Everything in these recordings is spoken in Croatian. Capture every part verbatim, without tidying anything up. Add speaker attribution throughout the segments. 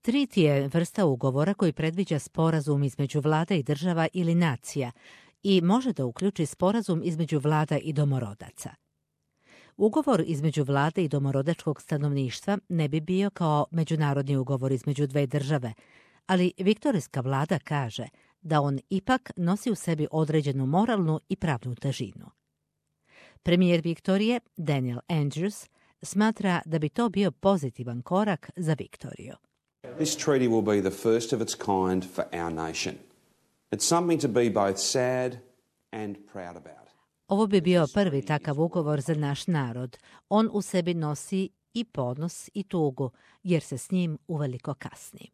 Speaker 1: Treaty je vrsta ugovora koji predviđa sporazum između vlada i država ili nacija i može da uključi sporazum između vlada i domorodaca. Ugovor između vlade i domorodačkog stanovništva ne bi bio kao međunarodni ugovor između dve države, ali viktorijska vlada kaže da on ipak nosi u sebi određenu moralnu i pravnu težinu. Premijer Viktorije, Daniel Andrews, smatra da bi to bio pozitivan korak za Viktoriju.
Speaker 2: This treaty will be the first of its kind for our nation. It's something to be both sad and proud about.
Speaker 1: Ovo bi bio prvi takav ugovor za naš narod. On u sebi nosi i ponos i tugu, jer se s njim uveliko kasni.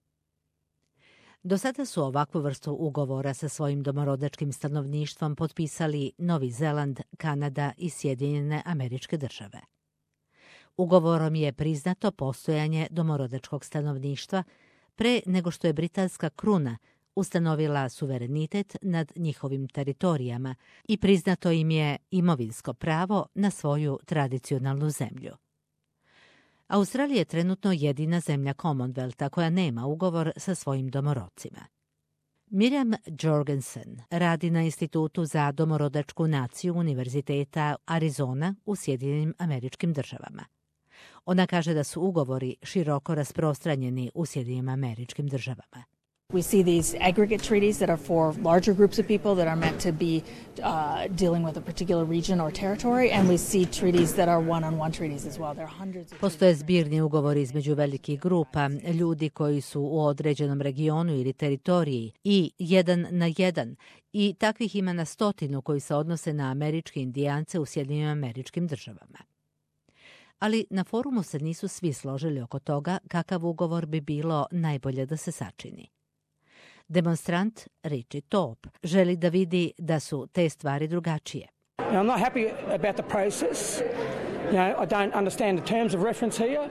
Speaker 1: Do sada su ovakvu vrstu ugovora sa svojim domorodačkim stanovništvom potpisali Novi Zeland, Kanada i Sjedinjene Američke Države. Ugovorom je priznato postojanje domorodačkog stanovništva pre nego što je britanska kruna ustanovila suverenitet nad njihovim teritorijama i priznato im je imovinsko pravo na svoju tradicionalnu zemlju. Australija je trenutno jedina zemlja Commonwealtha koja nema ugovor sa svojim domorodcima. Miriam Jorgensen radi na Institutu za domorodačku naciju Univerziteta Arizona u Sjedinjenim Američkim Državama. Ona kaže da su ugovori široko rasprostranjeni u Sjedinjenim Američkim Državama.
Speaker 3: We see these aggregate treaties that are for larger groups of people that are meant to be uh, dealing with a particular region or territory, and we see treaties that are one-on-one treaties as well. There are hundreds of
Speaker 1: Postoje zbirni ugovori između velikih grupa, ljudi koji su u određenom regionu ili teritoriji i jedan na jedan, i takvih ima na stotinu koji se odnose na američke indijance u Sjedinjenim Američkim Državama. Ali na forumu se nisu svi složili oko toga kakav ugovor bi bilo najbolje da se sačini. Demonstrant Richie Top želi da vidi da su te stvari drugačije.
Speaker 4: I'm not happy about the process. You know, I don't understand the terms of reference here.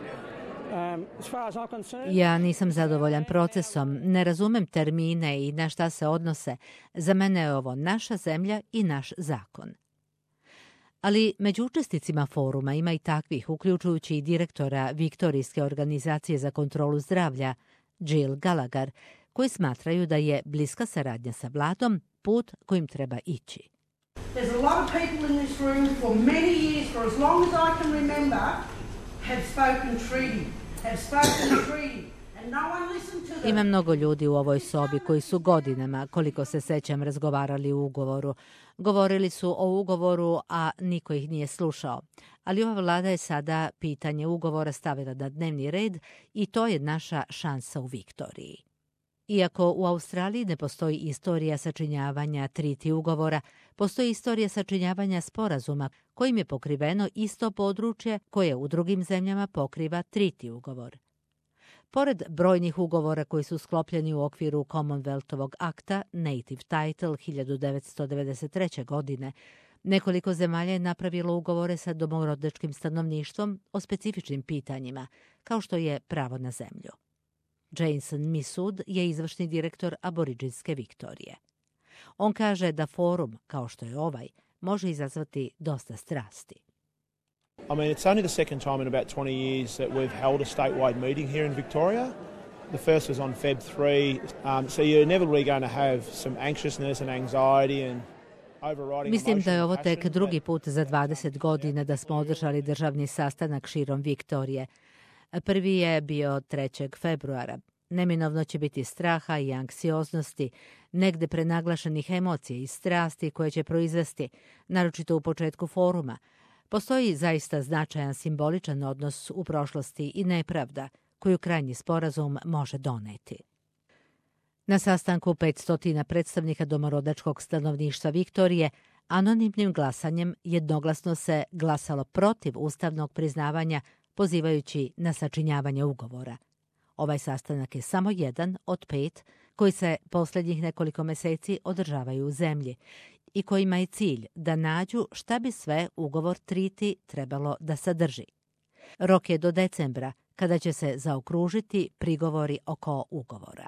Speaker 4: Um, as far as I'm concerned...
Speaker 1: Ja nisam zadovoljan procesom, ne razumem termine i na šta se odnose. Za mene je ovo naša zemlja i naš zakon. Ali među učesnicima foruma ima i takvih, uključujući i direktora Viktorijske organizacije za kontrolu zdravlja, Jill Gallagher, koji smatraju da je bliska saradnja sa vladom put kojim treba ići.
Speaker 5: There's a lot of people in this room for many years, for as long as I can remember, have spoken treaty, have spoken treaty. And no one listened to them.
Speaker 1: Ima mnogo ljudi u ovoj sobi koji su godinama, koliko se sećam, razgovarali o ugovoru. Govorili su o ugovoru, a niko ih nije slušao. Ali ova vlada je sada pitanje ugovora stavila na dnevni red i to je naša šansa u Viktoriji. Iako u Australiji ne postoji istorija sačinjavanja treaty ugovora, postoji istorija sačinjavanja sporazuma kojim je pokriveno isto područje koje u drugim zemljama pokriva treaty ugovor. Pored brojnih ugovora koji su sklopljeni u okviru Commonwealthovog akta Native Title hiljadu devetsto devedeset treće. godine, nekoliko zemalja je napravilo ugovore sa domorodačkim stanovništvom o specifičnim pitanjima, kao što je pravo na zemlju. Jason Misud je izvršni direktor Aboriđinske Viktorije. On kaže da forum, kao što je ovaj, može izazvati dosta strasti.
Speaker 6: I mean, it's only the second time in about twenty years that we've held a statewide meeting here in Victoria. The first was on February third, um, so you're inevitably going to have some anxiousness and anxiety and overriding.
Speaker 1: Mislim da je ovo tek drugi put za dvadeset godina da smo održali državni sastanak širom Viktorije. Prvi je bio trećeg februara. Neminovno će biti straha i anksioznosti, negde prenaglašenih emocija i strasti koje će proizvesti, naročito u početku foruma. Postoji zaista značajan simboličan odnos u prošlosti i nepravda koju krajnji sporazum može doneti. Na sastanku petsto predstavnika domorodačkog stanovništva Viktorije anonimnim glasanjem jednoglasno se glasalo protiv ustavnog priznavanja, pozivajući na sačinjavanje ugovora. Ovaj sastanak je samo jedan od pet koji se posljednjih nekoliko meseci održavaju u zemlji i kojima je cilj da nađu šta bi sve ugovor treaty trebalo da sadrži. Rok je do decembra, kada će se zaokružiti prigovori oko ugovora.